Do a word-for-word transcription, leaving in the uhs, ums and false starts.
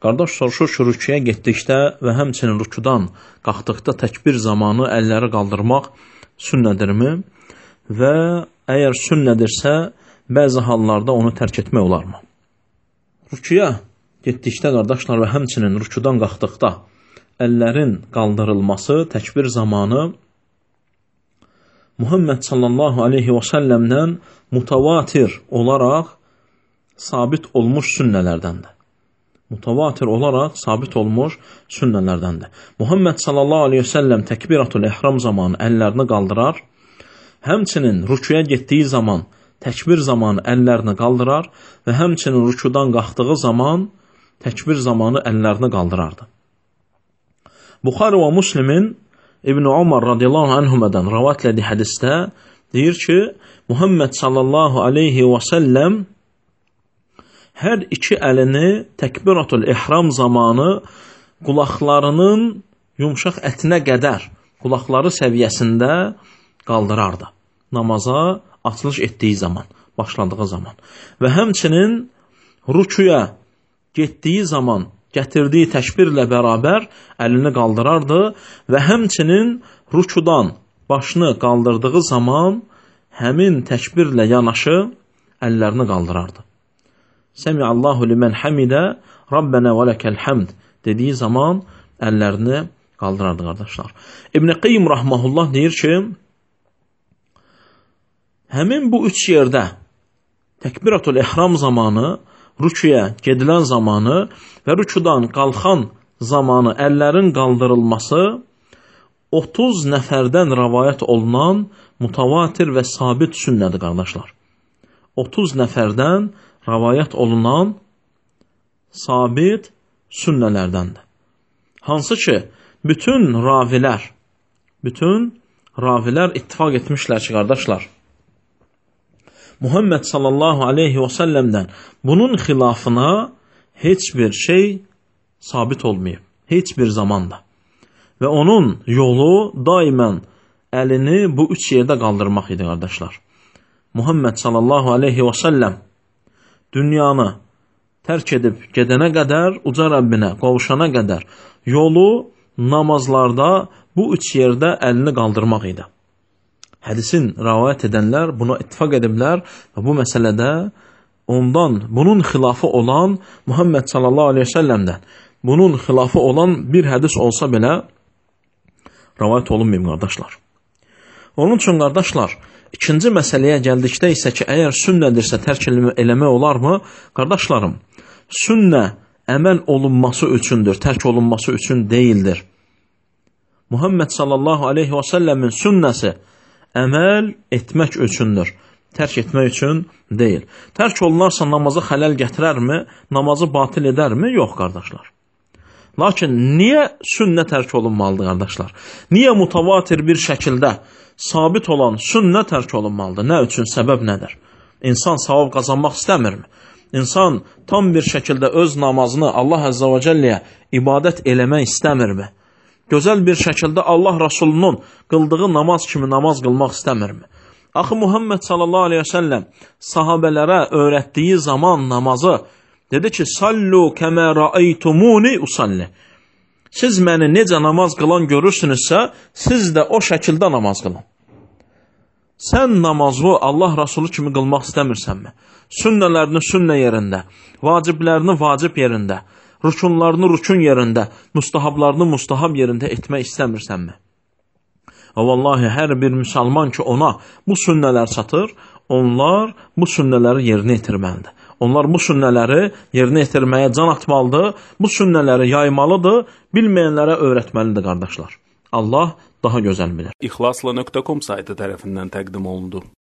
Qardaş soruşur ki, rüküyə getdikdə və həmçinin rükudan qalxdıqda təkbir zamanı əlləri qaldırmaq sünnədirmi? Və əgər sünnədirsə, bəzi hallarda onu tərk etmək olarmı? Rüküyə getdikdə qardaşlar və həmçinin rükudan qalxdıqda əllərin qaldırılması təkbir zamanı Muhammed sallallahu aleyhi və səlləmdən mutavatir olaraq sabit olmuş sünnələrdəndir. Mutavatir olaraq sabit olmuş sünnələrdəndir. Muhammed sallallahu aleyhi və səlləm təkbiratul ehram zamanı əllərini qaldırar, həmçinin rüküyə getdiyi zaman təkbir zamanı əllərini qaldırar və həmçinin rükudan qalxdığı zaman təkbir zamanı əllərini qaldırardı. Buxari və Müslimin İbn Umar radiyallahu anhumadan rivayət etdiyi hədisdə deyir ki, Muhammed sallallahu aleyhi və səlləm hər iki əlini təkbiratul ihram zamanı qulaqlarının yumşaq ətinə qədər, qulaqları səviyyəsində qaldırardı. Namaza açılış etdiyi zaman, başladığı zaman. Və həmçinin rüküyə getdiyi zaman gətirdiyi təkbirlə bərabər əlini qaldırardı və həmçinin rükudan başını qaldırdığı zaman həmin təkbirlə yanaşı əllərini qaldırardı. Səmi'allahu limən həmidə Rabbənə və ləkəl həmd dediyi zaman əllərini qaldırardı qardaşlar. İbn Qayyim rahmehullah deyir ki, həmin bu üç yerdə təkbiratul ihram zamanı, rüküyə gedilən zamanı və rükudan qalxan zamanı əllərin qaldırılması otuz nəfərdən rəvayət olunan mutavatir və sabit sünnədir qardaşlar. otuz nəfərdən rəvayət olunan sabit sünnələrdəndir. Hansı ki, bütün ravilər, bütün ravilər ittifaq etmişlər ki, qardaşlar, Muhammed sallallahu aleyhi və səlləmdən bunun xilafına heç bir şey sabit olmayıb, heç bir zamanda. Və onun yolu daimən əlini bu üç yerdə qaldırmaq idi, qardaşlar. Muhammed sallallahu aleyhi və səlləm dünyanı tərk edib gedənə qədər, uca Rəbbinə qovuşana qədər yolu namazlarda bu üç yerdə əlini qaldırmaq idi. Hədisin rəvayət edənlər buna ittifaq ediblər və bu məsələdə ondan, bunun xilafı olan Muhammed sallallahu aleyhi ve səlləmdən bunun xilafı olan bir hədis olsa belə rəvayət olunmayıb, qardaşlar. Onun üçün, qardaşlar, ikinci məsələyə gəldikdə isə ki, əgər sünnədirsə tərk eləmək olarmı? Qardaşlarım, sünnə əməl olunması üçündür, tərk olunması üçün deyildir. Muhammed sallallahu aleyhi və səlləmin sünnəsi əməl etmək üçündür, tərk etmək üçün deyil. Tərk olunarsa namaza xələl gətirərmi, namazı batil edərmi? Yox, qardaşlar. Lakin niyə sünnə tərk olunmalıdır, qardaşlar? Niyə mutavatir bir şəkildə sabit olan sünnə tərk olunmalıdır? Nə üçün? Səbəb nədir? İnsan savab qazanmaq istəmirmi? İnsan tam bir şəkildə öz namazını Allah Əzzə və Cəlləyə ibadət eləmək istəmirmi? Gözəl bir şəkildə Allah Rasulunun qıldığı namaz kimi namaz qılmaq istəmirmi? Axı Muhammed sallallahu aleyhi ve səlləm sahabələrə öyrətdiyi zaman namazı dedi ki, sallu kəmə rəaytumuni usalli. Siz məni necə namaz qılan görürsünüzsə, siz də o şəkildə namaz qılın. Sən namazı Allah Rasulü kimi qılmaq istəmirsənmi? Sünnələrini sünnə yerində, vaciblərini vacib yerində, rükunlarını rükun yerində, mustahablarını mustahab yerində etmək istəmirsənmi? Və vallahi hər bir müsəlman ki ona bu sünnələr çatır, onlar bu sünnələri yerinə yetirməlidir. Onlar bu sünnələri yerinə yetirməyə can atmalıdır, bu sünnələri yaymalıdır, bilməyənlərə öyrətməlidir, qardaşlar. Allah daha gözəl bilir. İxlasla nöqtə com saytı tərəfindən təqdim olundu.